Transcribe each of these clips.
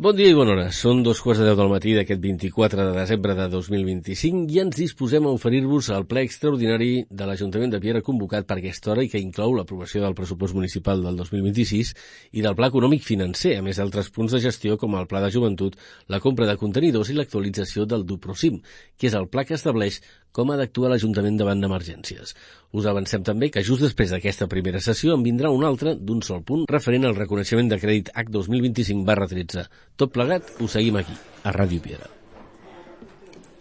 Bon dia i bona hora. Són 2:15 del matí d'aquest 24 de desembre de 2025 i ens disposem a oferir-vos el ple extraordinari de l'Ajuntament de Piera convocat per aquesta hora i que inclou l'aprovació del pressupost municipal del 2026 i del Pla Econòmic Financer, a més d'altres punts de gestió com el Pla de Joventut, la compra de contenidors i l'actualització del Duprosim, que és el pla que estableix com ha d'actuar l'Ajuntament davant d'emergències. Us avancem també que just després d'aquesta primera sessió en vindrà una altra d'un sol punt referent al reconeixement de crèdit H 2025/13. Tot plegat ho seguim aquí, a Ràdio Piera.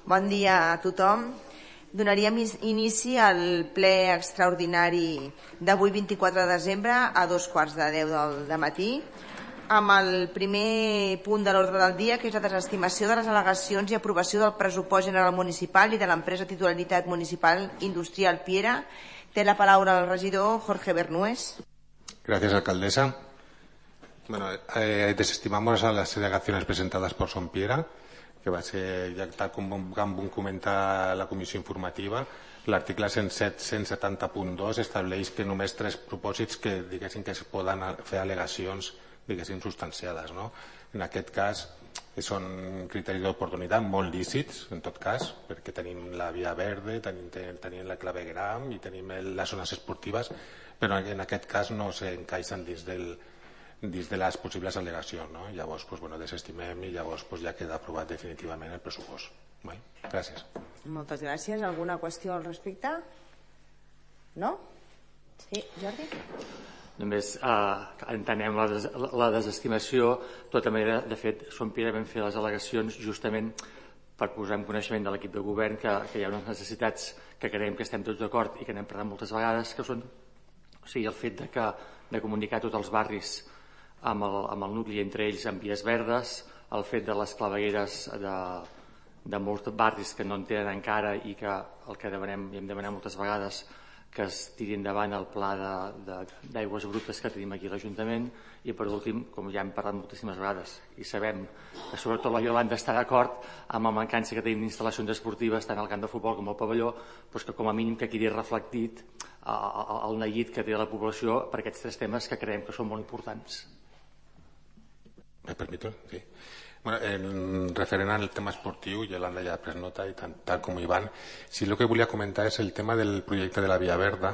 Bon dia a tothom. Donaríem inici al ple extraordinari d'avui 24 de desembre a 9:15 del matí amb el primer punt de l'ordre del dia, que és la desestimació de les al·legacions i aprovació del pressupost general municipal i de l'empresa titularitat municipal Industrial Piera. Té la paraula el regidor Jorge Bernués. Gracias, alcaldesa. Bueno, desestimamos a las alegaciones presentadas por Son Piera, que va ser, ja tal com vam comentar la comissió informativa, l'article 170.2 estableix que només 3 propòsits que diguéssim que es poden fer al·legacions diguéssim substanciades, no? En aquest cas són criteris d'oportunitat molt lícits, en tot cas, perquè tenim la via verde, tenim la clavegram i tenim les zones esportives, però en aquest cas no s'encaixen dins de les possibles al·legacions, no? Llavors, desestimem i llavors ja queda aprovat definitivament el pressupost. Gràcies. Moltes gràcies. Alguna qüestió al respecte? No? Sí, Jordi? Només entenem la desestimació. De tota manera, de fet, Son Piera vam fer les al·legacions justament per posar en coneixement de l'equip de govern que hi ha unes necessitats que creiem que estem tots d'acord i que n'hem parlat moltes vegades, que són el fet de comunicar tots els barris amb el nucli, entre ells amb vies verdes, el fet de les clavegueres de molts barris que no en tenen encara i que el que demanem i hem demanat moltes vegades que es tiri endavant el pla d'aigües brutes que tenim aquí a l'Ajuntament. I per últim, com ja hem parlat moltíssimes vegades i sabem que sobretot la Iolanda està d'acord amb la mancança que tenim d'instal·lacions esportives tant al camp de futbol com al pavelló, doncs que com a mínim que quedi reflectit el neguit que té la població per aquests 3 temes que creiem que són molt importants. ¿Me permito? Sí. Bueno, referent al tema esportiu, Yolanda ja ha pres nota i tal com Ivan, sí, el que volia comentar és el tema del projecte de la Via Verda.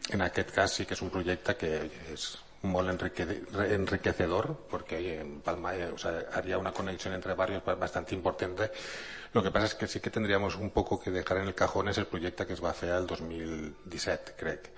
En aquest cas sí que és un projecte que és molt enriquecedor porque en Palma haría una conexión entre barrios bastante importante. Lo que pasa es que sí que tendríamos un poco que dejar en el cajón es el projecte que es va fer el 2017, crec,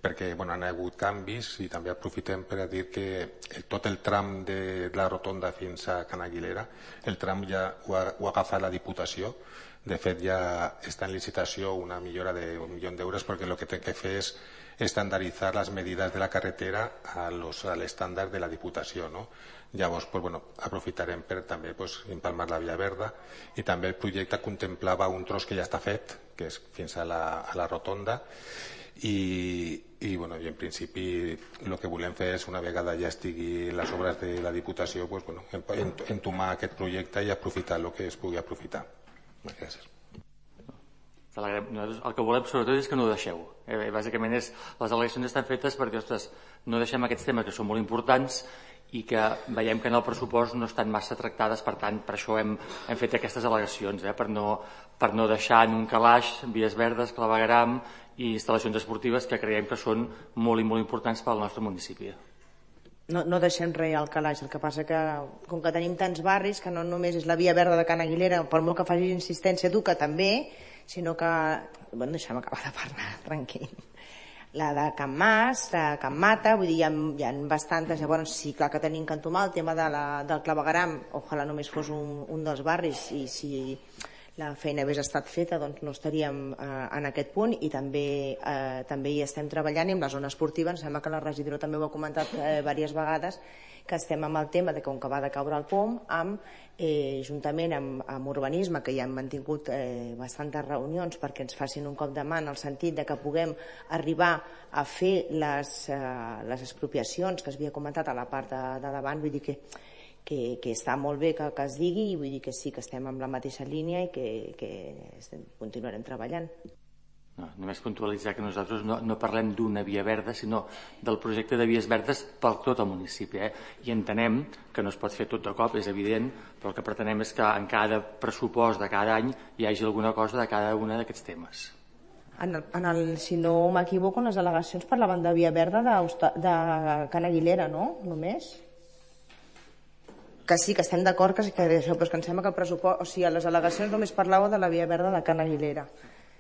perquè han hagut canvis i també aprofitem per a dir que tot el tram de la rotonda fins a Can Aguilera, el tram ja ho ha agafat la Diputació. De fet, ja està en licitació una millora d'1 milió d'euros perquè el que té que fer és estandarizar les medidas de la carretera al estándar de la Diputació, no? Llavors, aprofitarem per també empalmar la Via Verda i també el projecte contemplava un tros que ja està fet, que és fins a la rotonda i en principi el que volem fer és una vegada ja estigui les obres de la Diputació entomar aquest projecte i aprofitar el que es pugui aprofitar. Gràcies. El que volem sobretot és que no ho deixeu. Bàsicament les al·legacions estan fetes perquè no deixem aquests temes que són molt importants i que veiem que en el pressupost no estan massa tractades, per tant per això hem fet aquestes al·legacions, per no deixar en un calaix vies verdes, clavegram i instal·lacions esportives que creiem que són molt i molt importants pel nostre municipi. No deixem res al calaix, el que passa que com que tenim tants barris que no només és la Via Verda de Can Aguilera, per molt que facis insistència tu, que també, sinó que... deixa'm acabar de parlar, tranquil. La de Can Mas, de Can Mata, vull dir, hi ha bastantes. Llavors, sí, clar que tenim que entomar el tema del clavegueram, ojalà només fos un dels barris, i si la feina hagués estat feta, doncs no estaríem en aquest punt, i també hi estem treballant. I amb la zona esportiva, em sembla que la regidora també ho ha comentat diverses vegades, que estem amb el tema de com que va de caure el POM, juntament amb urbanisme, que ja hem mantingut bastantes reunions perquè ens facin un cop de mà en el sentit de que puguem arribar a fer les expropiacions que es havia comentat a la part de davant. Vull dir que està molt bé que es digui, i vull dir que sí que estem en la mateixa línia i que continuarem treballant. No, només puntualitzar que nosaltres no parlem d'una via verda, sinó del projecte de vies verdes per tot el municipi. I entenem que no es pot fer tot de cop, és evident, però el que pretenem és que en cada pressupost de cada any hi hagi alguna cosa de cada un d'aquests temes. Si no m'equivoco, en les al·legacions parlaven de via verda de Can Aguilera, no? Només? Que sí, que estem d'acord que això, però és que em sembla que el pressupost... O sigui, a les al·legacions només parlàveu de la via verda de Can Aguilera.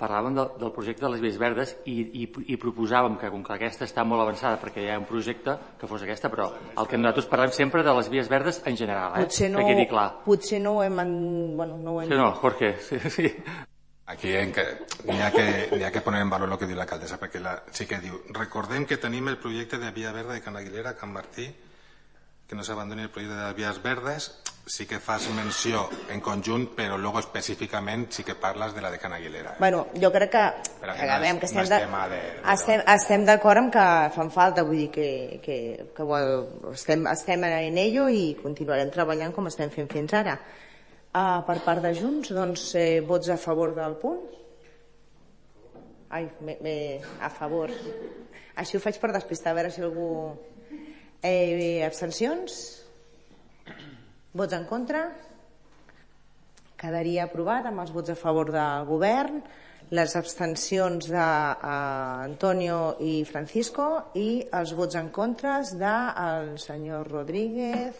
Parlàvem del projecte de les vies verdes i proposàvem que, com que aquesta està molt avançada perquè hi ha un projecte, que fos aquesta, però el que nosaltres parlem sempre de les vies verdes en general, que quedi clar. Potser no ho hem... Sí, no, Jorge, sí. Aquí n'hi ha que poner en valor el que diu l'alcaldessa, perquè sí que diu, recordem que tenim el projecte de via verda de Can Aguilera, Can Martí, que no s'abandoni el projecte de vies verdes, sí que fas menció en conjunt, però luego específicament sí que parles de la de Can Aguilera. Bueno, jo crec que estem d'acord amb que fan falta, vull dir que estem en ello i continuarem treballant com estem fent fins ara. Per part de Junts, doncs, vots a favor del punt? A favor. Així ho faig per despistar, a veure si algú... Abstencions? Vots en contra? Quedaria aprovat amb els vots a favor del govern, les abstencions d'Antonio i Francisco i els vots en contra del senyor Rodríguez,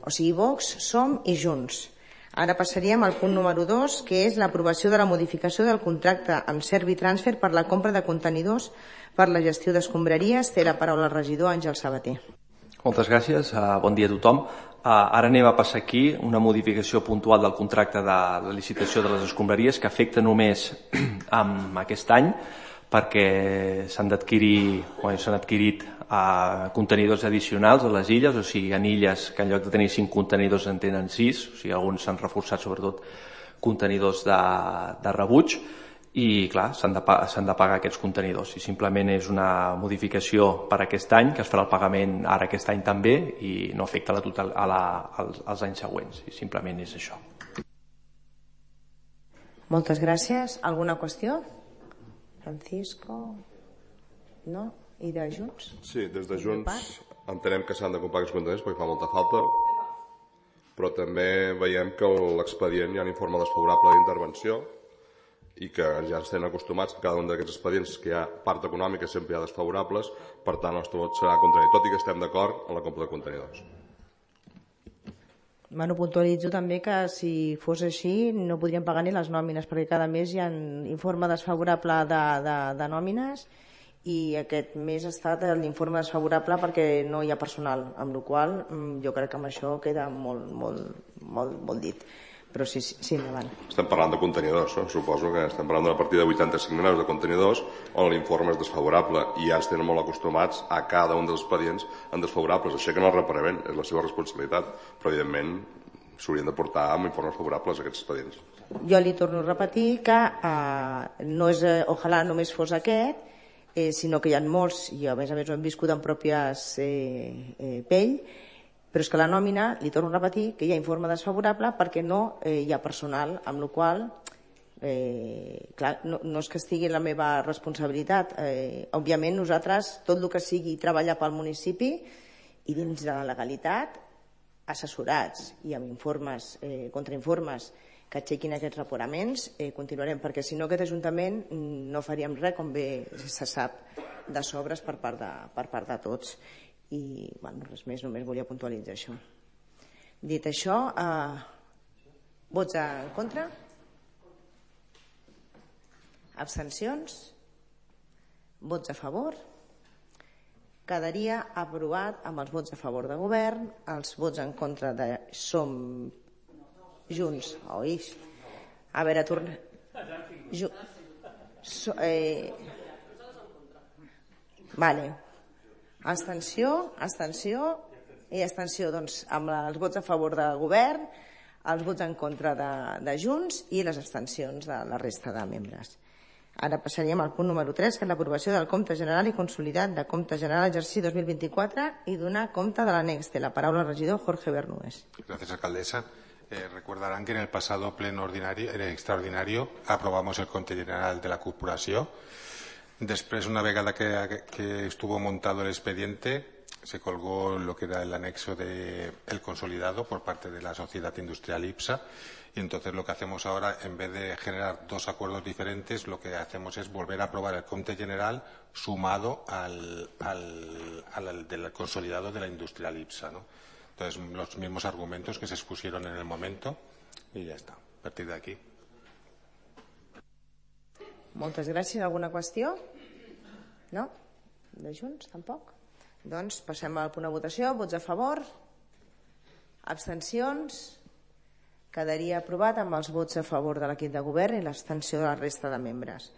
o sigui, Vox, Som i Junts. Ara passaríem al punt número 2, que és l'aprovació de la modificació del contracte amb Servitransfer per la compra de contenidors per la gestió d'escombraries. Té la paraula el regidor Àngel Sabater. Moltes gràcies, bon dia a tothom. Ara anem a passar aquí una modificació puntual del contracte de la licitació de les escombraries que afecta només amb aquest any perquè s'han adquirit contenidors addicionals a les illes, o sigui, en illes que en lloc de tenir 5 contenidors en tenen 6, o sigui, alguns s'han reforçat sobretot contenidors de rebuig i, clar, s'han de pagar aquests contenidors i simplement és una modificació per aquest any, que es farà el pagament ara aquest any també i no afecta als anys següents i simplement és això. Moltes gràcies. Alguna qüestió? Francisco? No? I de Junts? Sí, des de Junts entenem que s'han de comprar aquests contenidors perquè fa molta falta, però també veiem que a l'expedient hi ha un informe desfavorable d'intervenció i que ja estem acostumats que cada un d'aquests expedients que hi ha part econòmica sempre hi ha desfavorables, per tant el nostre vot serà contrari, tot i que estem d'acord en la compra de contenidors. Puntualitzo també que si fos així no podríem pagar ni les nòmines perquè cada mes hi ha un informe desfavorable de nòmines i aquest mes ha estat l'informe desfavorable perquè no hi ha personal, amb la qual cosa jo crec que amb això queda molt dit. Però sí, endavant. Estem parlant de contenidors, no? Suposo que estem parlant d'una partida de 85 milions de contenidors on l'informe és desfavorable i ja estem molt acostumats a cada un dels expedients en desfavorables. Això que no el reparem, és la seva responsabilitat, però evidentment s'haurien de portar amb informes favorables aquests expedients. Jo li torno a repetir que no és, ojalà només fos aquest, sinó que hi ha molts, i a més ho hem viscut en pròpies pell, però és que la nòmina, li torno a repetir, que hi ha informe desfavorable perquè no hi ha personal, amb la qual cosa, no és que estigui la meva responsabilitat. Òbviament nosaltres, tot el que sigui treballar pel municipi i dins de la legalitat, assessorats i amb informes, contrainformes que aixequin aquests reparaments, continuarem, perquè si no aquest Ajuntament no faríem res, com bé se sap, de sobres per part de tots. I res més, només volia puntualitzar això. Dit això, vots en contra? Abstencions? Vots a favor? Quedaria aprovat amb els vots a favor de govern, els vots en contra de Som Junts. A veure, torna. Vale. Abstenció i abstenció, doncs, amb els vots a favor del govern, els vots en contra de Junts i les abstencions de la resta de membres. Ara passaríem al punt número 3, que és l'aprovació del compte general i consolidat de compte general exercici 2024 i donar compte de l'annex. Té la paraula el regidor Jorge Bernués. Gràcies, alcaldessa. Recordarán que en el pasado pleno extraordinario aprobamos el compte general de la corporació. Després, una vegada que estuvo montado el expediente, se colgó lo que era el anexo del consolidado por parte de la sociedad industrial IPSA, y entonces lo que hacemos ahora, en vez de generar dos acuerdos diferentes, lo que hacemos es volver a aprobar el compte general sumado al del consolidado de la industrial IPSA, ¿no? Entonces, los mismos argumentos que se expusieron en el momento i ja està, a partir d'aquí. Moltes gràcies. Alguna qüestió? No? De Junts, tampoc? Doncs passem al punt de votació. Vots a favor? Abstencions? Quedaria aprovat amb els vots a favor de l'equip de govern i l'abstenció de la resta de membres.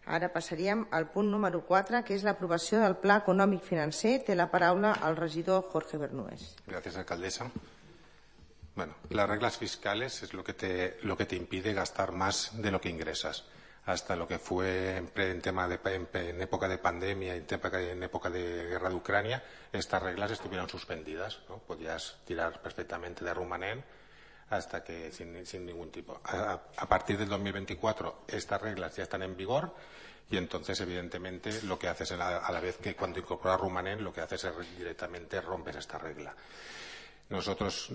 Ara passaríem al punt número 4, que és l'aprovació del Pla Econòmic Financer. Té la paraula el regidor Jorge Bernués. Gracias, alcaldesa. Bueno, las reglas fiscales es lo que te impide gastar más de lo que ingresas. Hasta lo que fue en época de pandemia, en época de guerra de Ucrania, estas reglas estuvieron suspendidas, ¿no? Podías tirar perfectamente de rumanén hasta que sin ningún tipo. A partir del 2024 estas reglas ya están en vigor y entonces evidentemente lo que haces a la vez que cuando incorporas rumanén, lo que haces es directamente rompes esta regla. Nosotros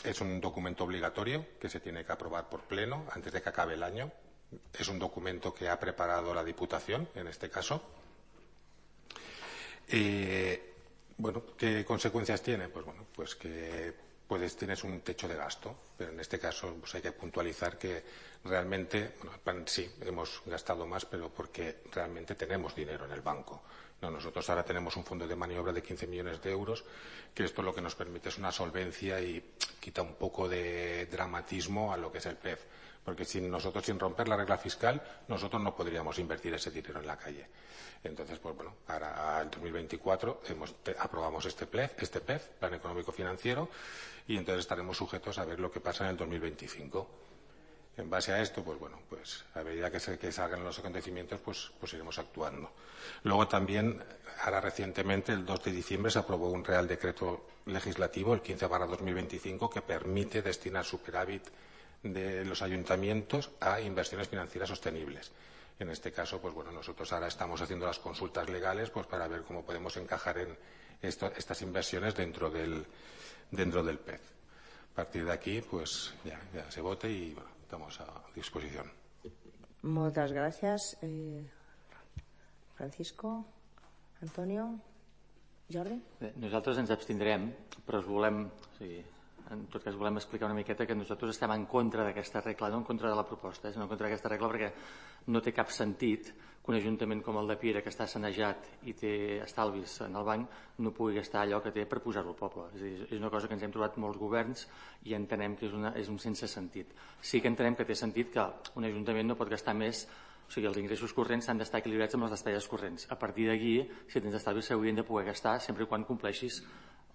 es un documento obligatorio que se tiene que aprobar por pleno antes de que acabe el año. Es un documento que ha preparado la Diputación, en este caso. Bueno, ¿qué consecuencias tiene? Pues bueno, pues que tienes un techo de gasto, pero en este caso pues hay que puntualizar que realmente, bueno, sí, hemos gastado más, pero porque realmente tenemos dinero en el banco. No, nosotros ahora tenemos un fondo de maniobra de 15 millones de euros, que esto lo que nos permite es una solvencia y quita un poco de dramatismo a lo que es el PEF. Porque sin romper la regla fiscal, nosotros no podríamos invertir ese dinero en la calle. Entonces, pues bueno, ahora en 2024 aprobamos este PEF, Plan Económico Financiero, y entonces estaremos sujetos a ver lo que pasa en el 2025. En base a esto, pues bueno, pues a medida que salgan los acontecimientos, pues iremos actuando. Luego también, ahora recientemente, el 2 de diciembre, se aprobó un Real Decreto Legislativo, el 15/2025, que permite destinar superávit de los ayuntamientos a inversiones financieras sostenibles. En este caso, pues bueno, nosotros ahora estamos haciendo las consultas legales pues para ver cómo podemos encajar en estas inversiones dentro del PEF. A partir de aquí, pues ya se vote y bueno, estamos a disposición. Moltes gràcies. Francisco, Antonio, Jordi? Bé, nosaltres ens abstindrem, però en tot cas volem explicar una miqueta que nosaltres estem en contra d'aquesta regla, no en contra de la proposta, sinó en contra d'aquesta regla perquè no té cap sentit que un ajuntament com el de Piera, que està sanejat i té estalvis en el banc, no pugui gastar allò que té per posar-ho al poble. És a dir, és una cosa que ens hem trobat molts governs i entenem que és un sense sentit. Sí que entenem que té sentit que un ajuntament no pot gastar més, o sigui, els ingressos corrents han d'estar equilibrats amb les despeses corrents. A partir d'aquí, si tens estalvis, s'haurien de poder gastar sempre quan compleixis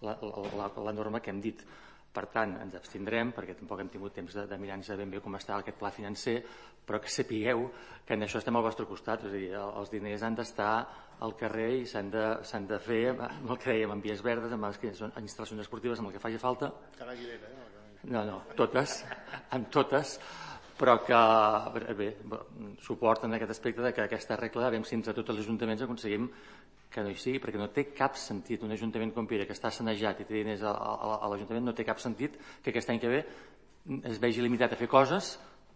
la norma que hem dit. Per tant, ens abstindrem, perquè tampoc hem tingut temps de mirar-nos ben bé com està aquest pla financer, però que sapigueu que en això estem al vostre costat. És a dir, els diners han d'estar al carrer i s'han de fer, amb el que dèiem, amb vies verdes, amb les instal·lacions esportives, amb el que faci falta. No, totes, amb totes, però que, bé, suporten aquest aspecte de que aquesta regla, a veure si entre tots els ajuntaments aconseguim que no hi sigui, perquè no té cap sentit un ajuntament com Piera, que està sanejat i té diners a l'Ajuntament, no té cap sentit que aquest any que ve es vegi limitat a fer coses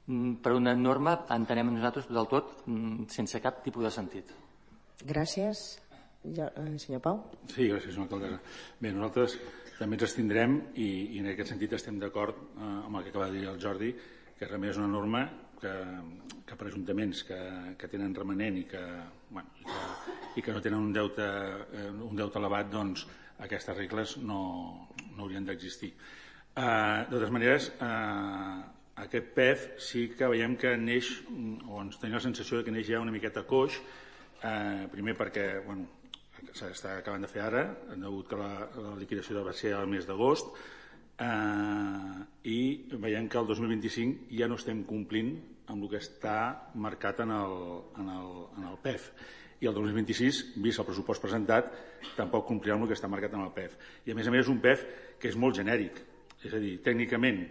per una norma, entenem nosaltres del tot, sense cap tipus de sentit. Gràcies. Senyor Pau? Sí, gràcies, senyor alcaldessa. Bé, nosaltres també ens abstindrem i en aquest sentit estem d'acord amb el que acaba de dir el Jordi, que realment és una norma que per ajuntaments que tenen remanent i que no tenen un deute elevat, doncs aquestes regles no haurien d'existir. De totes maneres, aquest PEF sí que veiem que neix, o ens tenim la sensació que neix ja una miqueta coix, primer perquè s'està acabant de fer ara, degut que la liquidació va ser al mes d'agost, i veiem que el 2025 ja no estem complint amb el que està marcat en el PEF, i el 2026, vist el pressupost presentat, tampoc complirà amb el que està marcat en el PEF. I a més és un PEF que és molt genèric, és a dir, tècnicament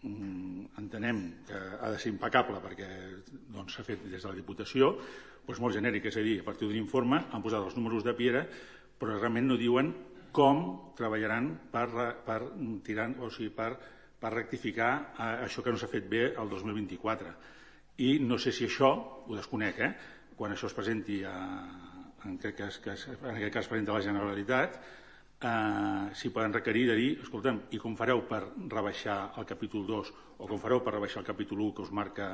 entenem que ha de ser impecable perquè s'ha fet des de la Diputació, doncs molt genèric, és a dir, a partir d'un informe han posat els números de Piera, però realment no diuen com treballaran per tirar, o sigui, per rectificar això que no s'ha fet bé el 2024. I no sé si això, ho desconec, quan això es presenti, en aquest cas presenta la Generalitat, si poden requerir de dir, escolta'm, i com fareu per rebaixar el capítol 2 o com fareu per rebaixar el capítol 1 que us marca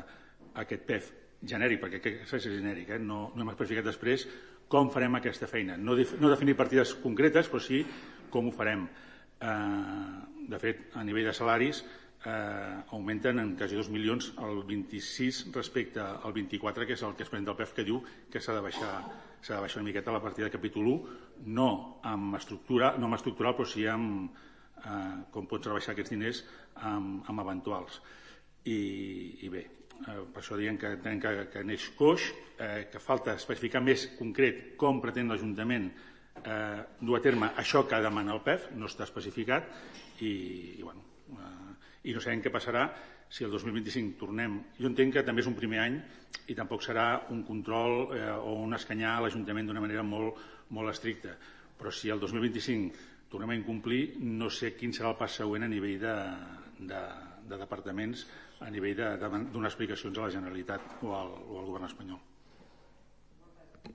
aquest PEF genèric, perquè aquest és genèric, no hem especificat després com farem aquesta feina. No definir partides concretes, però sí com ho farem. De fet, a nivell de salaris augmenten en quasi 2 milions el 26 respecte al 24, que és el que es presenta el PEF, que diu que s'ha de baixar una miqueta la partida de capítol 1, no amb estructural, però sí amb com pots rebaixar aquests diners amb eventuals. I bé, per això diem que entenem que neix coix, que falta especificar més concret com pretén l'Ajuntament dur a terme això que demana el PEF, no està especificat, i no sabem què passarà si el 2025 tornem. Jo entenc que també és un primer any i tampoc serà un control o un escanyar a l'Ajuntament d'una manera molt estricta, però si el 2025 tornem a incomplir, no sé quin serà el pas següent a nivell de departaments, a nivell de donar explicacions a la Generalitat o al govern espanyol.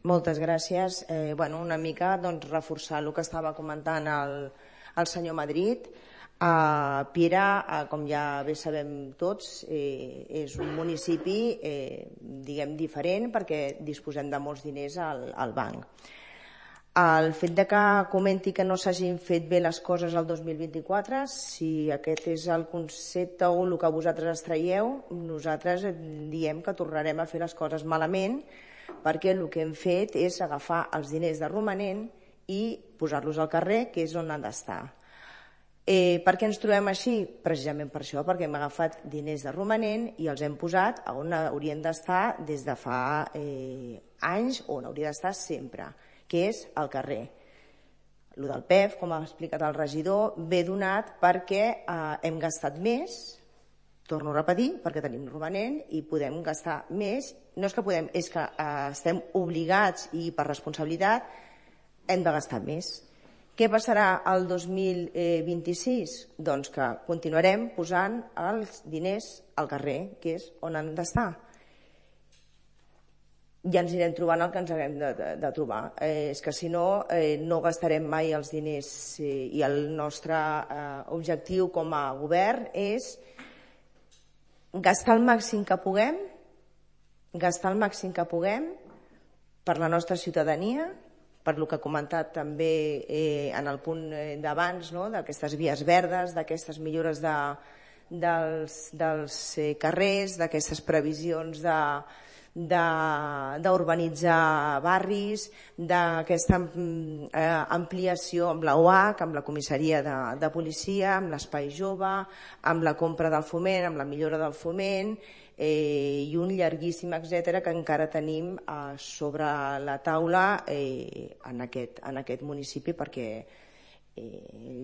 Moltes gràcies. Una mica reforçar el que estava comentant el senyor Madrid. Piera, com ja bé sabem tots, és un municipi diferent perquè disposem de molts diners al banc. El fet que comenti que no s'hagin fet bé les coses el 2024, si aquest és el concepte o el que vosaltres extraieu, nosaltres diem que tornarem a fer les coses malament perquè el que hem fet és agafar els diners de romanent i posar-los al carrer, que és on han d'estar. Per què ens trobem així? Precisament per això, perquè hem agafat diners de romanent i els hem posat on haurien d'estar des de fa anys, on hauria d'estar sempre, que és al carrer. El del PEF, com ha explicat el regidor, ve donat perquè hem gastat més, torno a repetir, perquè tenim romanent i podem gastar més. No és que podem, és que estem obligats i per responsabilitat hem de gastar més. Què passarà el 2026? Doncs que continuarem posant els diners al carrer, que és on han d'estar. Ja ens anirem trobant el que ens haguem de trobar. És que si no, no gastarem mai els diners i el nostre objectiu com a govern és gastar el màxim que puguem per la nostra ciutadania, per el que ha comentat també en el punt d'abans, d'aquestes vies verdes, d'aquestes millores dels carrers, d'aquestes previsions d'urbanitzar barris, d'aquesta ampliació amb la UAC, amb la comissaria de policia, amb l'espai jove, amb la compra del foment, amb la millora del foment, i un llarguíssim etcètera que encara tenim sobre la taula en aquest municipi, perquè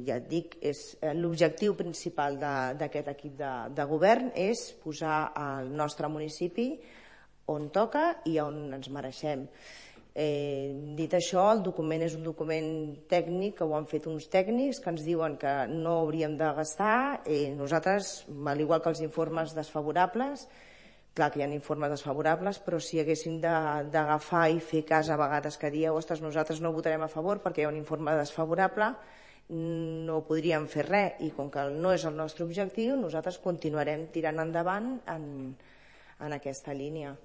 ja et dic, l'objectiu principal d'aquest equip de govern és posar el nostre municipi on toca i on ens mereixem. Dit això, el document és un document tècnic que ho han fet uns tècnics que ens diuen que no hauríem de gastar. Nosaltres, al igual que els informes desfavorables, clar que hi ha informes desfavorables, però si haguéssim d'agafar i fer cas a vegades que dieu, ostres, nosaltres no votarem a favor perquè hi ha un informe desfavorable, no podríem fer res, i com que no és el nostre objectiu, nosaltres continuarem tirant endavant en aquesta línia.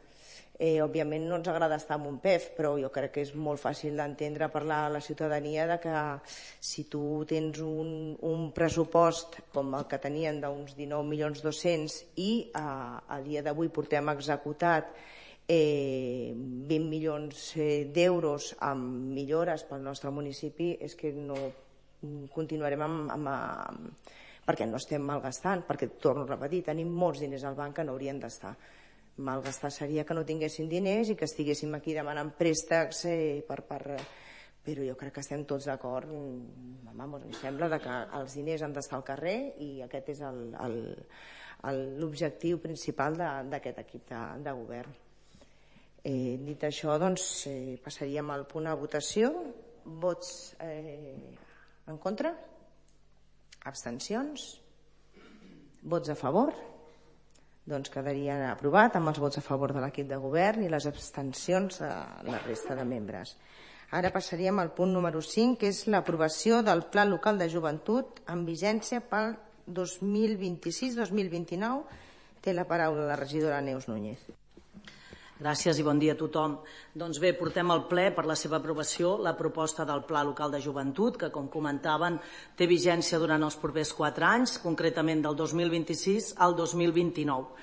Òbviament no ens agrada estar en un PEF, però jo crec que és molt fàcil d'entendre per la ciutadania que si tu tens un pressupost com el que tenien d'uns 19.200.000 i a dia d'avui portem executat 20 milions d'euros amb millores pel nostre municipi, és que no continuarem perquè no estem malgastant, perquè, torno a repetir, tenim molts diners al banc que no haurien d'estar. Malgastar seria que no tinguéssim diners i que estiguéssim aquí demanant préstecs però jo crec que estem tots d'acord. Em sembla que els diners han d'estar al carrer i aquest és l'objectiu principal d'aquest equip de govern. Dit això, doncs, passaríem al punt de votació. Vots en contra? Abstencions? Vots a favor? Doncs quedaria aprovat amb els vots a favor de l'equip de govern i les abstencions de la resta de membres. Ara passaríem al punt número 5, que és l'aprovació del Pla Local de Joventut amb vigència pel 2026-2029. Té la paraula la regidora Neus Núñez. Gràcies i bon dia a tothom. Doncs bé, portem al ple per la seva aprovació la proposta del Pla Local de Joventut, que, com comentaven, té vigència durant els propers 4 anys, concretament del 2026 al 2029.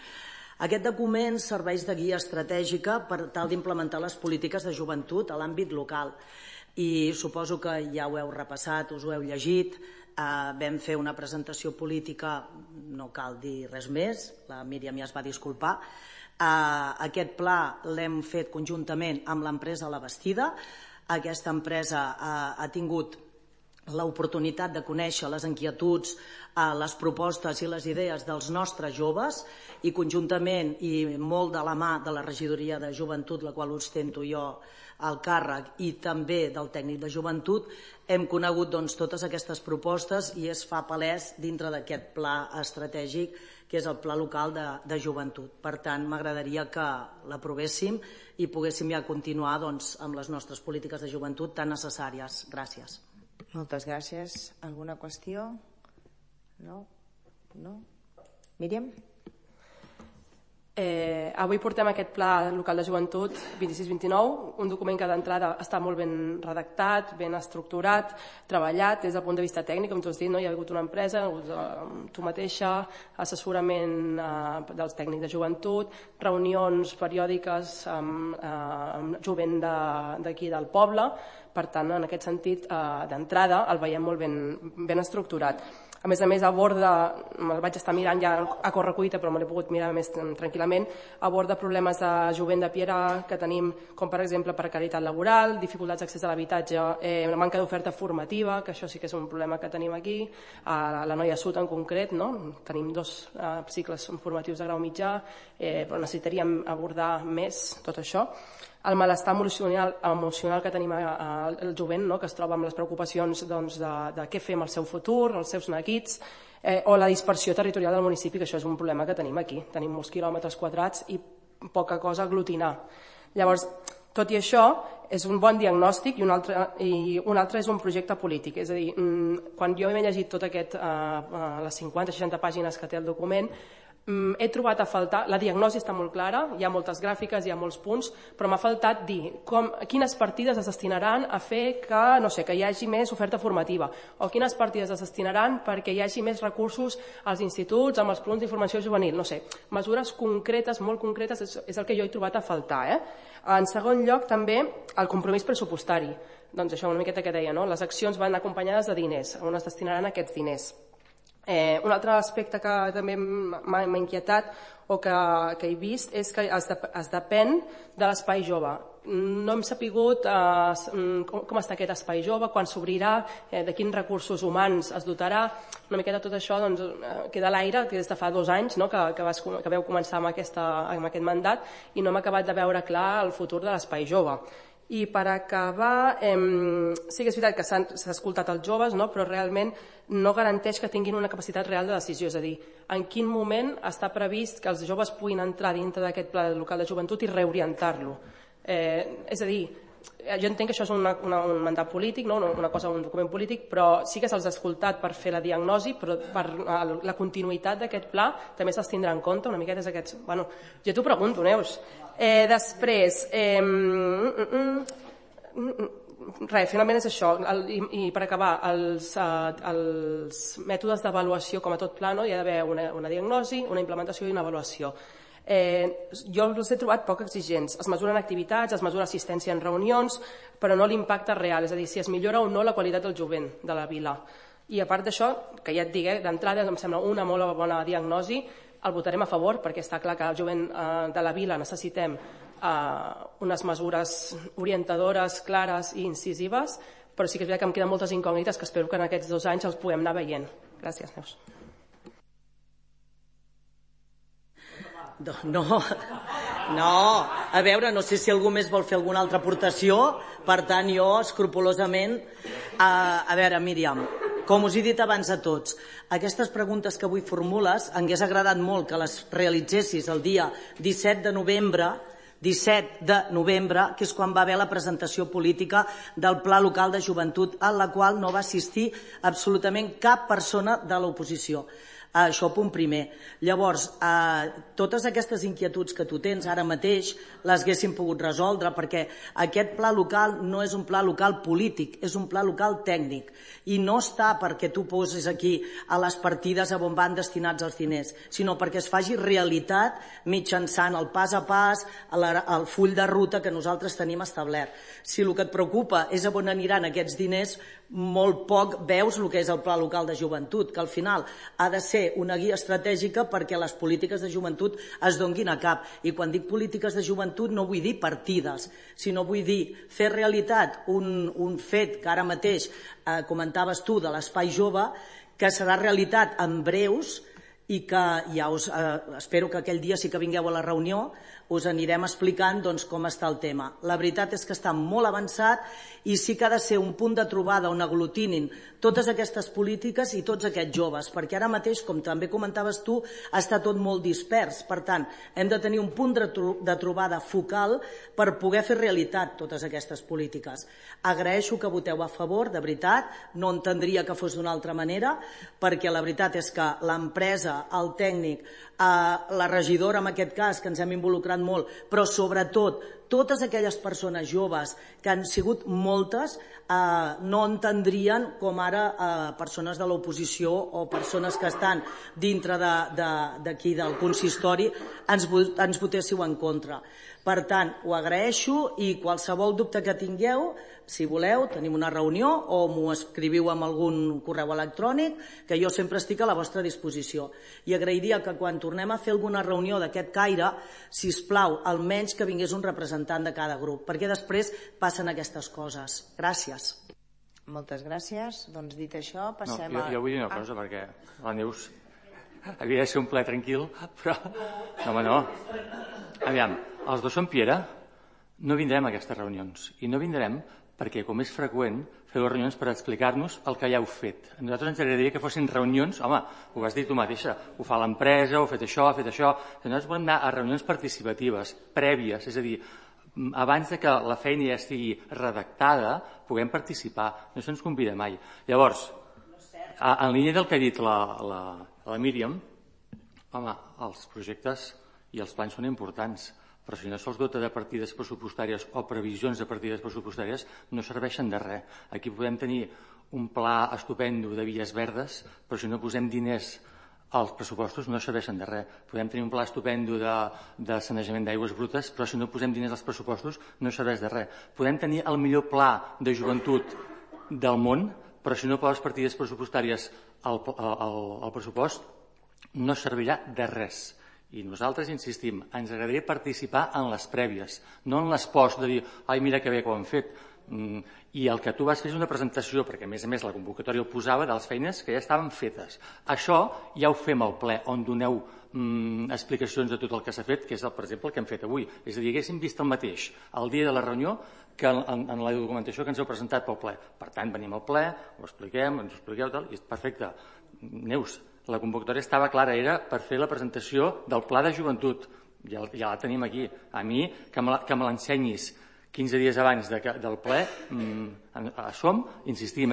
Aquest document serveix de guia estratègica per tal d'implementar les polítiques de joventut a l'àmbit local. I suposo que ja ho heu repassat, us ho heu llegit. Vam fer una presentació política, no cal dir res més, la Míriam ja es va disculpar. Aquest pla l'hem fet conjuntament amb l'empresa La Bastida. Aquesta empresa ha tingut l'oportunitat de conèixer les inquietuds, les propostes i les idees dels nostres joves i conjuntament i molt de la mà de la regidoria de joventut, la qual ostento jo al càrrec, i també del tècnic de joventut, hem conegut totes aquestes propostes i es fa palès dintre d'aquest pla estratègic que és el Pla Local de Joventut. Per tant, m'agradaria que l'aprovéssim i poguéssim ja continuar amb les nostres polítiques de joventut tan necessàries. Gràcies. Moltes gràcies. Alguna qüestió? No? Míriam? Avui portem aquest Pla Local de Joventut 26-29, un document que d'entrada està molt ben redactat, ben estructurat, treballat des del punt de vista tècnic, com tu has dit, hi ha hagut una empresa, hi ha hagut tu mateixa, assessorament dels tècnics de joventut, reunions periòdiques amb jovent d'aquí del poble. Per tant, en aquest sentit, d'entrada el veiem molt ben estructurat. A més, aborda, me'l vaig estar mirant ja a correcuita, però me l'he pogut mirar més tranquil·lament, aborda problemes de jovent de Piera que tenim, com per exemple precarietat laboral, dificultats d'accés a l'habitatge, manca d'oferta formativa, que això sí que és un problema que tenim aquí, a la Noia Sud en concret, tenim 2 cicles formatius de grau mitjà, però necessitaríem abordar més tot això. El malestar emocional que tenim al jovent, que es troba amb les preocupacions de què fer amb el seu futur, els seus neguits, o la dispersió territorial del municipi, que això és un problema que tenim aquí. Tenim molts quilòmetres quadrats i poca cosa a aglutinar. Llavors, tot i això, és un bon diagnòstic i un altre és un projecte polític. És a dir, quan jo m'he llegit tot les 50-60 pàgines que té el document, he trobat a faltar, la diagnosi està molt clara, hi ha moltes gràfiques, hi ha molts punts, però m'ha faltat dir quines partides es destinaran a fer que hi hagi més oferta formativa, o quines partides es destinaran perquè hi hagi més recursos als instituts, amb els punts d'informació juvenil, mesures concretes, molt concretes, és el que jo he trobat a faltar. En segon lloc, també, el compromís pressupostari. Doncs això, una miqueta que deia, les accions van acompanyades de diners, on es destinaran aquests diners. Un altre aspecte que també m'ha inquietat o que he vist és que es depèn de l'espai jove. No hem sapigut com està aquest espai jove, quan s'obrirà, de quins recursos humans es dotarà. Una miqueta tot això queda a l'aire, que des de fa 2 anys que vau començar amb aquest mandat i no hem acabat de veure clar el futur de l'espai jove. I per acabar, sí que és veritat que s'ha escoltat els joves, però realment no garanteix que tinguin una capacitat real de decisió, és a dir, en quin moment està previst que els joves puguin entrar dintre d'aquest pla local de joventut i reorientar-lo. És a dir, jo entenc que això és un mandat polític, una cosa, un document polític, però sí que se'ls ha escoltat per fer la diagnosi, però per la continuïtat d'aquest pla també se'ls tindrà en compte una miqueta aquests... Bueno, jo t'ho pregunto, Neus. Després, finalment és això, i per acabar, els mètodes d'avaluació, com a tot pla, hi ha d'haver una diagnosi, una implementació i una avaluació. Jo els he trobat poc exigents. Es mesuren activitats, es mesura assistència en reunions, però no l'impacte real, és a dir, si es millora o no la qualitat del jovent de la vila. I a part d'això, que ja et dic, d'entrada em sembla una molt bona diagnosi, el votarem a favor perquè està clar que el jovent de la vila necessitem unes mesures orientadores, clares i incisives, però sí que és veritat que em queden moltes incògnites que espero que en aquests 2 anys els puguem anar veient. Gràcies, Neus. No, a veure, no sé si algú més vol fer alguna altra aportació, per tant jo escrupolosament... A veure, Míriam, com us he dit abans a tots, aquestes preguntes que avui formules m'hagués agradat molt que les realitzessis el dia 17 de novembre, que és quan va haver la presentació política del Pla Local de Joventut, a la qual no va assistir absolutament cap persona de l'oposició. Això punt primer. Llavors, totes aquestes inquietuds que tu tens ara mateix les haguéssim pogut resoldre, perquè aquest pla local no és un pla local polític, és un pla local tècnic, i no està perquè tu posis aquí a les partides a on van destinats els diners, sinó perquè es faci realitat mitjançant el pas a pas, el full de ruta que nosaltres tenim establert. Si el que et preocupa és on aniran aquests diners, molt poc veus el que és el Pla Local de Joventut, que al final ha de ser una guia estratègica perquè les polítiques de joventut es donguin a cap. I quan dic polítiques de joventut no vull dir partides, sinó vull dir fer realitat un fet que ara mateix comentaves tu de l'espai jove, que serà realitat en breus i que ja espero que aquell dia sí que vingueu a la reunió, us anirem explicant com està el tema. La veritat és que està molt avançat i sí que ha de ser un punt de trobada on aglutinin totes aquestes polítiques i tots aquests joves, perquè ara mateix, com també comentaves tu, està tot molt dispers. Per tant, hem de tenir un punt de trobada focal per poder fer realitat totes aquestes polítiques. Agraeixo que voteu a favor, de veritat, no entendria que fos d'una altra manera, perquè la veritat és que l'empresa, el tècnic, la regidora en aquest cas, que ens hem involucrat molt, però sobretot totes aquelles persones joves, que han sigut moltes, no entendrien com ara persones de l'oposició o persones que estan dintre d'aquí del consistori ens votéssiu en contra. Per tant, ho agraeixo i qualsevol dubte que tingueu, si voleu, tenim una reunió o m'ho escriviu amb algun correu electrònic, que jo sempre estic a la vostra disposició. I agrairia que quan tornem a fer alguna reunió d'aquest caire, sisplau, almenys que vingués un representant de cada grup, perquè després passen aquestes coses. Gràcies. Moltes gràcies. Doncs dit això, passem a... Jo vull dir una cosa, perquè la Neus havia de ser un ple tranquil, però... No. Aviam, els dos som Piera, no vindrem a aquestes reunions. I no vindrem perquè, com és freqüent, feu reunions per explicar-nos el que ja heu fet. A nosaltres ens agradaria que fossin reunions, home, ho has dit tu mateixa, ho fa l'empresa, ho ha fet això, Nosaltres volem anar a reunions participatives, prèvies, és a dir, abans que la feina ja estigui redactada, puguem participar. No se'ns convida mai. Llavors, en línia del que ha dit la Míriam, home, els projectes i els plans són importants, però si no se'ls dota de partides pressupostàries o previsions de partides pressupostàries, no serveixen de res. Aquí podem tenir un pla estupendo de vies verdes, però si no posem diners als pressupostos no serveixen de res. Podem tenir un pla estupendo de sanejament d'aigües brutes, però si no posem diners als pressupostos no serveix de res. Podem tenir el millor pla de joventut del món, però si no poses partides pressupostàries al pressupost no servirà de res. I nosaltres insistim, ens agradaria participar en les prèvies, no en les post de dir, ai, mira que bé que ho han fet. I el que tu vas fer és una presentació, perquè a més la convocatòria ho posava de les feines que ja estaven fetes. Això ja ho fem al ple, on doneu explicacions de tot el que s'ha fet, que és, per exemple, el que hem fet avui. És a dir, haguéssim vist el mateix el dia de la reunió que en la documentació que ens heu presentat pel ple. Per tant, venim al ple, ho expliquem, ens ho expliqueu, tal, i és perfecte. Neus, la convocatòria estava clara, era per fer la presentació del Pla de Joventut. Ja la tenim aquí. A mi, que me l'ensenyis 15 dies abans del ple, insistim,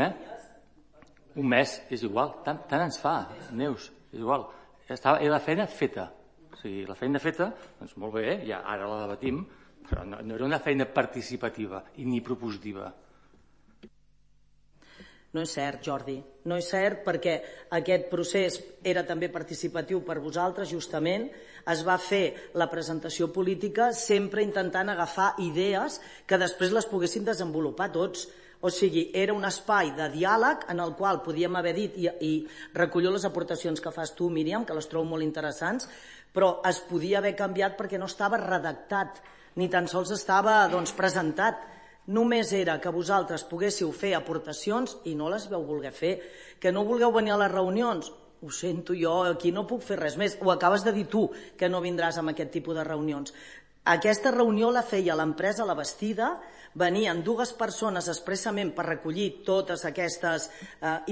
un mes, és igual, tant ens fa, Neus, és igual. Era la feina feta. O sigui, la feina feta, doncs molt bé, ja ara la debatim, però no era una feina participativa ni propositiva. No és cert, Jordi. No és cert perquè aquest procés era també participatiu per vosaltres, justament. Es va fer la presentació política sempre intentant agafar idees que després les poguessin desenvolupar tots. O sigui, era un espai de diàleg en el qual podíem haver dit, i recollo les aportacions que fas tu, Míriam, que les trobo molt interessants, però es podia haver canviat perquè no estava redactat, ni tan sols estava presentat. Només era que vosaltres poguéssiu fer aportacions i no les vau voler fer. Que no vulgueu venir a les reunions, ho sento, jo aquí no puc fer res més. Ho acabes de dir tu, que no vindràs amb aquest tipus de reunions. Aquesta reunió la feia l'empresa La Bastida, venien 2 persones expressament per recollir totes aquestes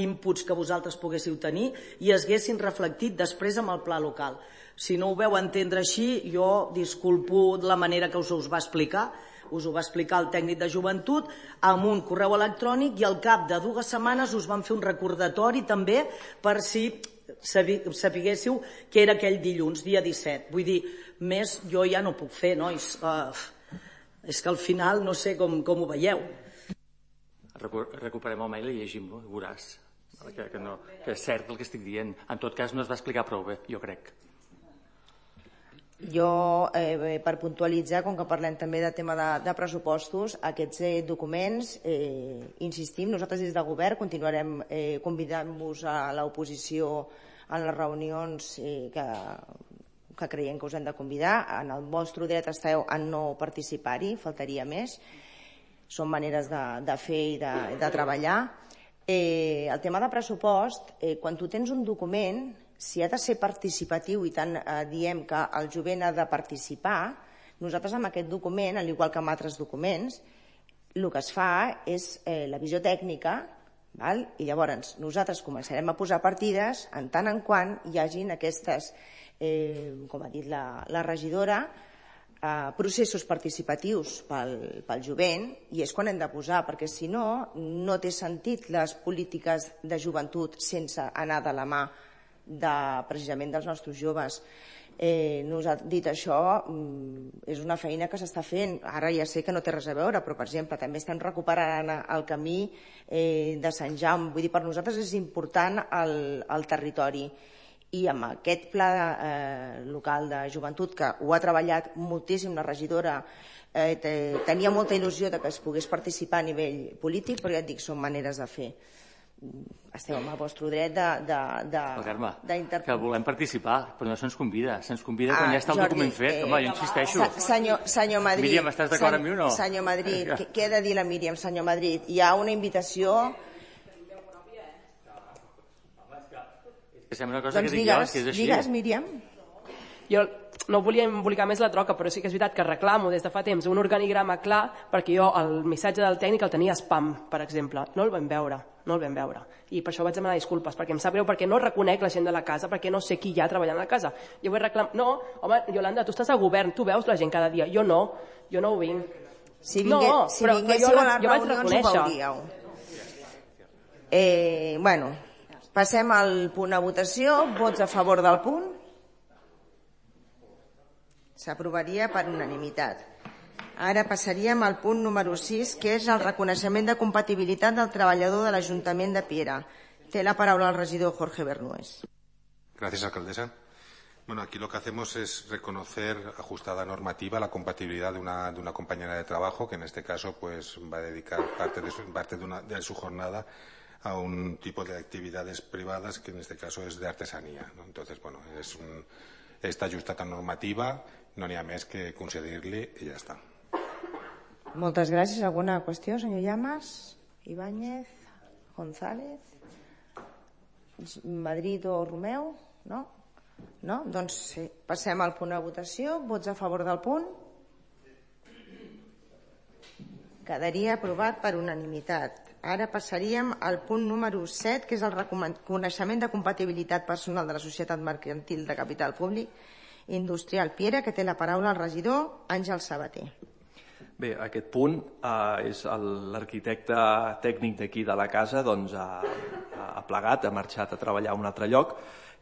inputs que vosaltres poguéssiu tenir i es haguessin reflectit després amb el pla local. Si no ho veu entendre així, jo disculpo la manera que us ho va explicar. Us ho va explicar el tècnic de joventut amb un correu electrònic i al cap de 2 setmanes us van fer un recordatori també per si sapiguéssiu que era aquell dilluns, dia 17. Vull dir, més jo ja no puc fer, nois. És que al final no sé com ho veieu. Recuperem el mail i llegim-lo, i veuràs que és cert el que estic dient. En tot cas no es va explicar prou bé, jo crec. Jo, per puntualitzar, com que parlem també de tema de pressupostos, aquests documents, insistim, nosaltres des del govern continuarem convidant-vos a l'oposició en les reunions que creiem que us hem de convidar. En el vostre dret esteu a no participar-hi, faltaria més. Són maneres de fer i de treballar. El tema de pressupost, quan tu tens un document, si ha de ser participatiu i tant diem que el jovent ha de participar, nosaltres amb aquest document, al igual que amb altres documents, el que es fa és la visió tècnica, i llavors nosaltres començarem a posar partides en tant en quant hi hagin aquestes, com ha dit la regidora, processos participatius pel jovent, i és quan hem de posar, perquè si no, no té sentit les polítiques de joventut sense anar de la mà precisament dels nostres joves. Dit això, és una feina que s'està fent. Ara ja sé que no té res a veure, però, per exemple, també estem recuperant el camí de Sant Jaume. Vull dir, per nosaltres és important el territori. I amb aquest pla local de joventut, que ho ha treballat moltíssim la regidora, tenia molta il·lusió que es pogués participar a nivell polític, però ja et dic, són maneres de fer. Esteu amb el vostre dret d'interpretar. Que volem participar, però no se'ns convida. Se'ns convida quan ja està el document fet. Home, jo insisteixo. Senyor Madrid. Míriam, estàs d'acord amb mi o no? Senyor Madrid, què ha de dir la Míriam, senyor Madrid? Hi ha una invitació... Doncs digues, Míriam. Jo no volia embolicar més la troca, però sí que és veritat que reclamo des de fa temps un organigrama clar, perquè jo el missatge del tècnic el tenia spam, per exemple. No el vam veure. I per això vaig demanar disculpes, perquè em sap greu, perquè no reconec la gent de la casa, perquè no sé qui hi ha treballant a la casa. Jo vull reclamar... No, home, Iolanda, tu estàs al govern, tu veus la gent cada dia. Jo no ho vinc. Si vinguéssiu a les reunions ho veuríeu. Bueno, passem al punt a votació. Vots a favor del punt? S'aprovaria per unanimitat. Ara passaríem al punt número 6, que és el reconeixement de compatibilitat del treballador de l'Ajuntament de Piera. Té la paraula el regidor Jorge Bernués. Gracias, alcaldesa. Bueno, aquí lo que hacemos es reconocer, ajustada normativa, la compatibilidad de una compañera de trabajo que en este caso pues va a dedicar parte de su jornada a un tipo de actividades privadas que en este caso es de artesanía, ¿no? Entonces, bueno, esta ajustada normativa, no n'hi ha més que concedir-li i ja està. Moltes gràcies. Alguna qüestió, senyor Llamas? Ibáñez? González? Madrid o Romeu? No? No? Doncs sí. Passem al punt de votació. Vots a favor del punt? Quedaria aprovat per unanimitat. Ara passaríem al punt número 7, que és el reconeixement de compatibilitat personal de la Societat Mercantil de Capital Públic Industrial Piera, que té la paraula el regidor Àngel Sabater. Bé, aquest punt és l'arquitecte tècnic d'aquí de la casa, doncs ha plegat, ha marxat a treballar a un altre lloc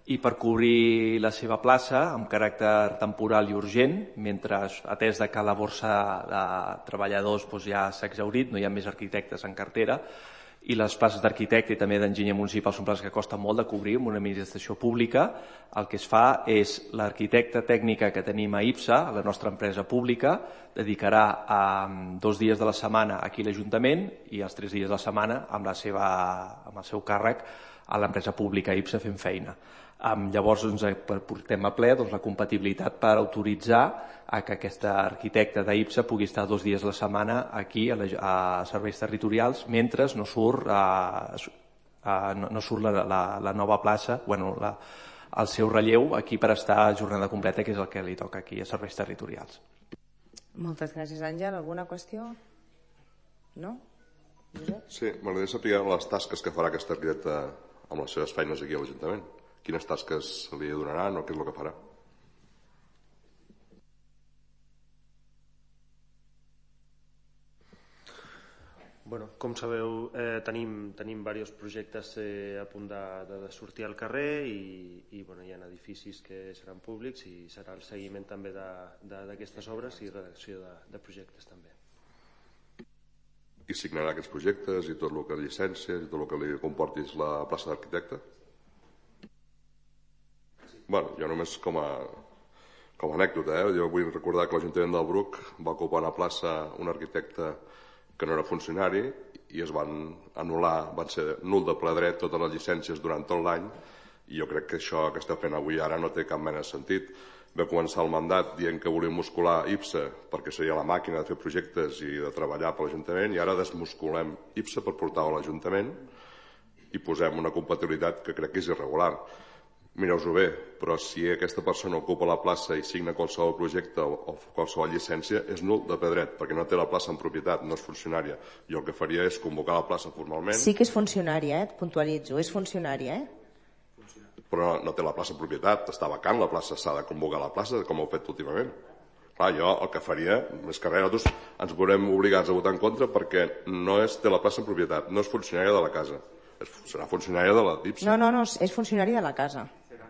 i per cobrir la seva plaça amb caràcter temporal i urgent, mentre atès que la borsa de treballadors ja s'ha exhaurit, no hi ha més arquitectes en cartera, i les places d'arquitecte i també d'enginyer municipal són places que costen molt de cobrir amb una administració pública. El que es fa és l'arquitecta tècnica que tenim a IPSA, la nostra empresa pública, dedicarà 2 dies de la setmana aquí a l'Ajuntament i els 3 dies de la setmana amb el seu càrrec a l'empresa pública IPSA fent feina. Llavors portem a ple la compatibilitat per autoritzar que aquesta arquitecta d'IPSA pugui estar 2 dies a la setmana aquí a serveis territorials mentre no surt la nova plaça, el seu relleu aquí per estar a jornada completa, que és el que li toca aquí a serveis territorials. Moltes gràcies, Àngel. Alguna qüestió? No? Sí, m'agradaria saber les tasques que farà aquesta arquitecta amb les seves feines aquí a l'Ajuntament. Quines tasques li donaran o què és el que farà? Bueno, com sabeu, tenim diversos projectes a punt de sortir al carrer i hi ha edificis que seran públics i serà el seguiment també d'aquestes obres i redacció de projectes també. I signarà aquests projectes i tot el que llicències i tot el que li comportis la plaça d'arquitecte? Bueno, jo només com a anècdota, jo vull recordar que l'Ajuntament del Bruc va ocupar una plaça un arquitecte que no era funcionari i es van anul·lar, van ser nul de ple dret totes les llicències durant tot l'any i jo crec que això que està fent avui ara no té cap mena de sentit. Va començar el mandat dient que volíem muscular IPSA perquè seria la màquina de fer projectes i de treballar per l'Ajuntament i ara desmusculem IPSA per portar-ho a l'Ajuntament i posem una compatibilitat que crec que és irregular. Mireu-ho bé, però si aquesta persona ocupa la plaça i signa qualsevol projecte o qualsevol llicència, és nul de ple dret, perquè no té la plaça en propietat, no és funcionària. Jo el que faria és convocar la plaça formalment... Sí que és funcionària, et puntualitzo, és funcionària, Però no té la plaça en propietat, està vacant la plaça, s'ha de convocar la plaça, com heu fet últimament. Clar, jo el que faria és que nosaltres ens veurem obligats a votar en contra perquè no té la plaça en propietat, no és funcionària de la casa, serà funcionària de la DIPSA. No, és funcionària de la casa.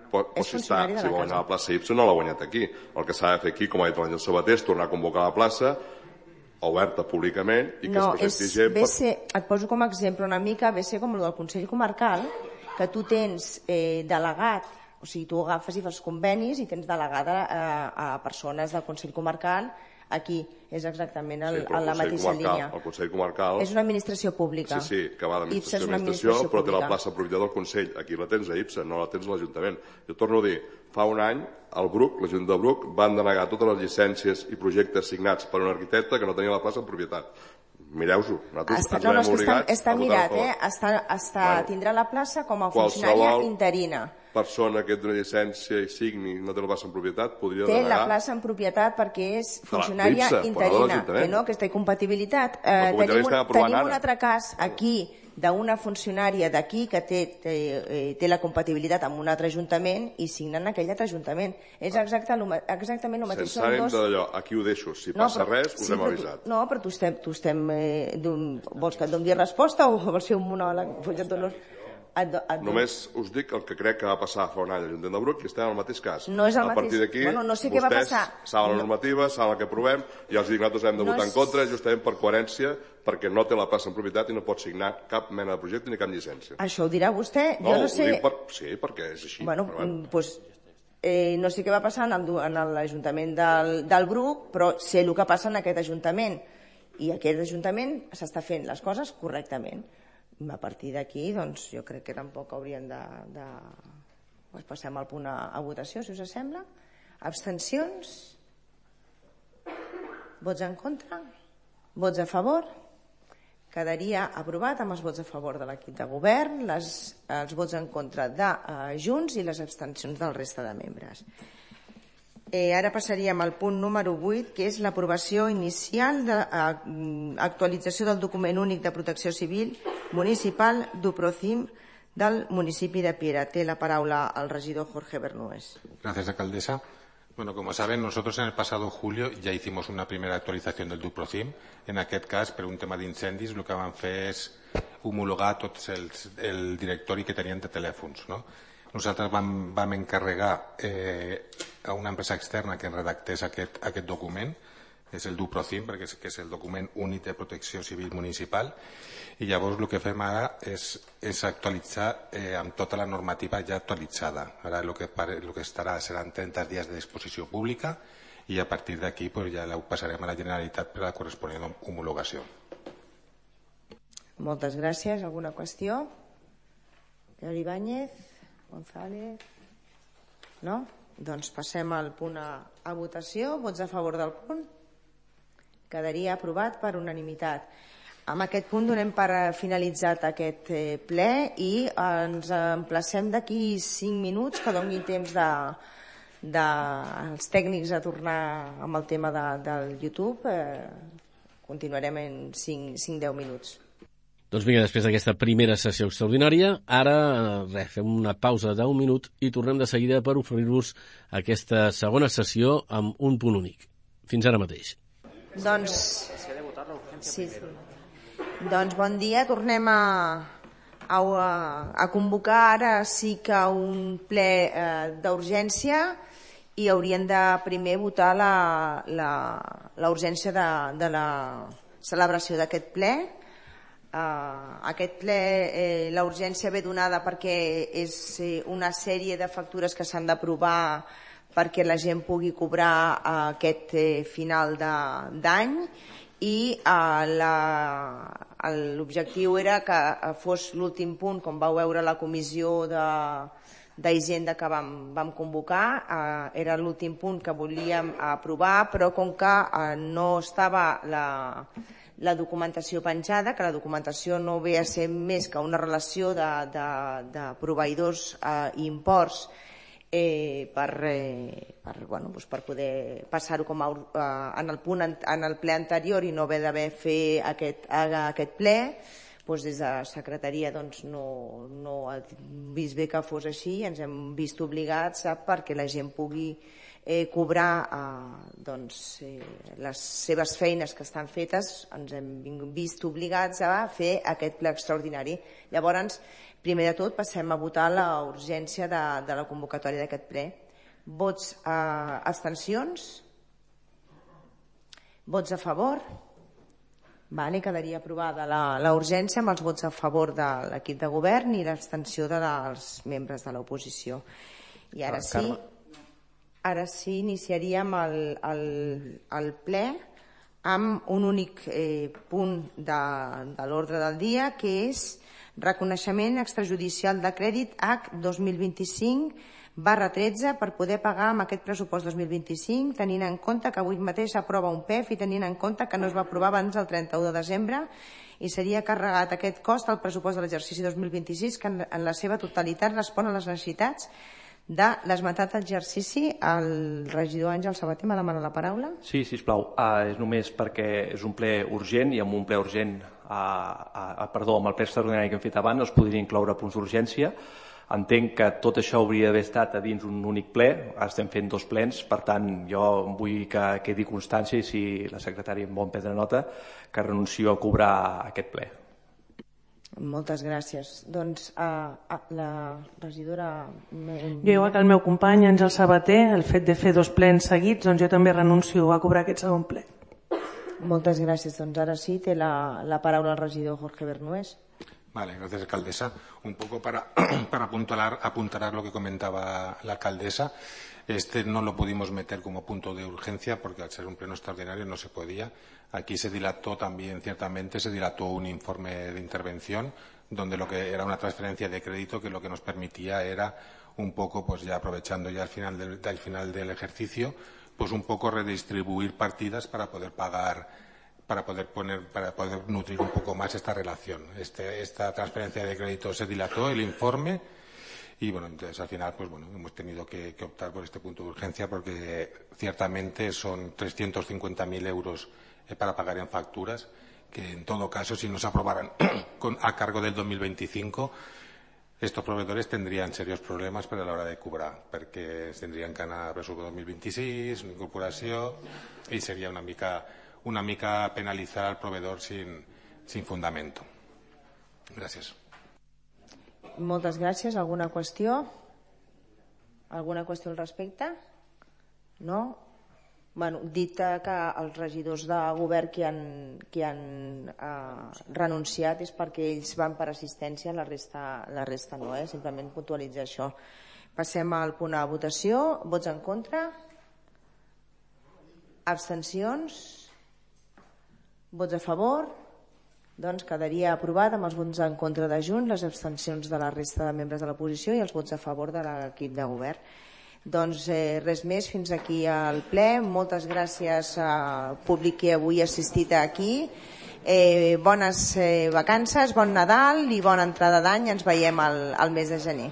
Si va guanyar la plaça IPSA no l'ha guanyat aquí. El que s'ha de fer aquí, com ha dit l'Àngel Sabater, és tornar a convocar la plaça oberta públicament i que es presenti gent... Et poso com a exemple una mica, ve ser com el del Consell Comarcal, que tu tens delegat, o sigui, tu agafes i fas convenis i tens delegada a persones del Consell Comarcal aquí. És exactament la mateixa línia. El Consell Comarcal... És una administració pública. Sí, que va d'administració, però té la plaça propietat del Consell. Aquí la tens a IPSA, no la tens a l'Ajuntament. Jo torno a dir, fa un any, el Bruc, l'Ajuntament del Bruc, van denegar totes les llicències i projectes signats per un arquitecte que no tenia la plaça en propietat. Mireu-ho, nosaltres ens veiem obligats està mirat, tindrà la plaça com a funcionària interina. Persona que té una llicència i signi no té la plaça en propietat podria denegar... Té la plaça en propietat perquè és funcionària interina, que té compatibilitat. Tenim un altre cas aquí d'una funcionària d'aquí que té la compatibilitat amb un altre ajuntament i signen aquell altre ajuntament. És exactament el mateix. Sense ànim d'allò, aquí ho deixo. Si passa res, us hem avisat. No, però tu estem... Vols que et doni resposta o vols fer un monòleg? Només us dic el que crec que va passar fa un any a l'Ajuntament del Bruc i estem en el mateix cas. No és el mateix. A partir d'aquí, vostès saben la normativa, saben el que aprovem i els dic nosaltres hem de votar en contra justament per coherència perquè no té la plaça en propietat i no pot signar cap mena de projecte ni cap llicència. Això ho dirà vostè? Jo no sé... Sí, perquè és així. No sé què va passar en l'Ajuntament del Bruc, però sé el que passa en aquest Ajuntament. I aquest Ajuntament s'està fent les coses correctament. A partir d'aquí, doncs, jo crec que tampoc hauríem de... Passem al punt a votació, si us sembla. Abstencions? Vots en contra? Vots a favor? Quedaria aprovat amb els vots a favor de l'equip de govern, els vots en contra de Junts i les abstencions del resta de membres. Ara passaríem al punt número 8, que és l'aprovació inicial de l'actualització del document únic de protecció civil municipal d'UPROCIM del municipi de Piera. Té la paraula el regidor Jorge Bernués. Gracias, alcaldesa. Bueno, como saben, nosotros en el pasado julio ya hicimos una primera actualización del DUPROCIM. En aquest cas, per un tema d'incendis, el que vam fer és homologar tots el directori que tenien de telèfons, no? Nosaltres vam encarregar a una empresa externa que redactés aquest document. és el DUPROCIM, perquè és el document únic de protecció civil municipal, i llavors el que fem ara és actualitzar amb tota la normativa ja actualitzada. Ara el que seran 30 dies de disposició pública i a partir d'aquí ja ho passarem a la Generalitat per a la corresponent homologació. Moltes gràcies. Alguna qüestió? Pere Ibáñez? González? No? Doncs passem al punt a votació. Vots a favor del punt? Quedaria aprovat per unanimitat. Amb aquest punt donem per finalitzat aquest ple i ens emplacem d'aquí 5 minuts que doni temps dels tècnics a tornar amb el tema del YouTube. Continuarem en 5-10 minuts. Doncs vinga, després d'aquesta primera sessió extraordinària, ara fem una pausa d'1 minut i tornem de seguida per oferir-vos aquesta segona sessió amb un punt únic. Fins ara mateix. Doncs bon dia, tornem a convocar ara sí que un ple d'urgència i haurien de primer votar la urgència de la celebració d'aquest ple. Aquest ple, la urgència ve donada perquè és una sèrie de factures que s'han d'aprovar perquè la gent pugui cobrar aquest final d'any i l'objectiu era que fos l'últim punt, com vau veure a la comissió d'Hisenda que vam convocar, era l'últim punt que volíem aprovar, però com que no estava la documentació penjada, que la documentació no ve a ser més que una relació de proveïdors i imports per poder passar-ho com en el ple anterior i no haver d'haver fet aquest ple, des de secretaria no ha vist bé que fos així i ens hem vist obligats perquè la gent pugui cobrar les seves feines que estan fetes, ens hem vist obligats a fer aquest ple extraordinari. Llavors, primer de tot, passem a votar la urgència de la convocatòria d'aquest ple. Vots abstencions? Vots a favor? Quedaria aprovada la urgència amb els vots a favor de l'equip de govern i l'abstenció dels membres de l'oposició. I ara sí... Ara sí, iniciaríem el ple amb un únic punt de l'ordre del dia, que és reconeixement extrajudicial de crèdit H 2025/13 per poder pagar amb aquest pressupost 2025, tenint en compte que avui mateix s'aprova un PEF i tenint en compte que no es va aprovar abans del 31 de desembre i seria carregat aquest cost al pressupost de l'exercici 2026, que en la seva totalitat respon a les necessitats de l'esmentat exercici. El regidor Àngel Sabater me demana la paraula. Sí, sisplau. És només perquè és un ple urgent i amb un ple urgent, amb el ple extraordinari que hem fet abans, no es podria incloure punts d'urgència. Entenc que tot això hauria d'haver estat a dins un únic ple. Ara estem fent 2 plens, per tant, jo vull que quedi constància i si la secretària em vol prendre nota, que renuncio a cobrar aquest ple. Moltes gràcies. Doncs la regidora... Jo, igual que el meu company Àngel Sabater, el fet de fer 2 plens seguits, doncs jo també renuncio a cobrar aquest segon ple. Moltes gràcies. Doncs ara sí, té la paraula el regidor Jorge Bernués. Vale, gracias, alcaldesa. Un poco para apuntalar lo que comentaba la alcaldesa. No lo pudimos meter como punto de urgencia porque al ser un pleno extraordinario no se podía. Aquí se dilató también, ciertamente, un informe de intervención donde lo que era una transferencia de crédito que lo que nos permitía era un poco, pues ya aprovechando ya al final del ejercicio, pues un poco redistribuir partidas para poder pagar, para poder nutrir un poco más esta relación. Esta transferencia de crédito se dilató, el informe, y bueno, entonces al final pues bueno, hemos tenido que optar por este punto de urgencia porque ciertamente son 350.000 euros para pagar en facturas, que en todo caso si no se aprobaran a cargo del 2025, estos proveedores tendrían serios problemes per a l'hora de cobrar, perquè tindrien que anar a pressupost 2026, una incorporació, i seria una mica penalitzar al proveedor sin fundamento. Gràcies. Moltes gràcies. Alguna qüestió? Alguna qüestió al respecte? No? Dit que els regidors de govern que han renunciat és perquè ells van per assistència, la resta no, simplement puntualitzar això. Passem al punt a votació. Vots en contra? Abstencions? Vots a favor? Doncs quedaria aprovat amb els vots en contra de Junts, les abstencions de la resta de membres de l'oposició i els vots a favor de l'equip de govern. Doncs res més, fins aquí al ple. Moltes gràcies al públic que avui ha assistit aquí. Bones vacances, bon Nadal i bona entrada d'any. Ens veiem al mes de gener.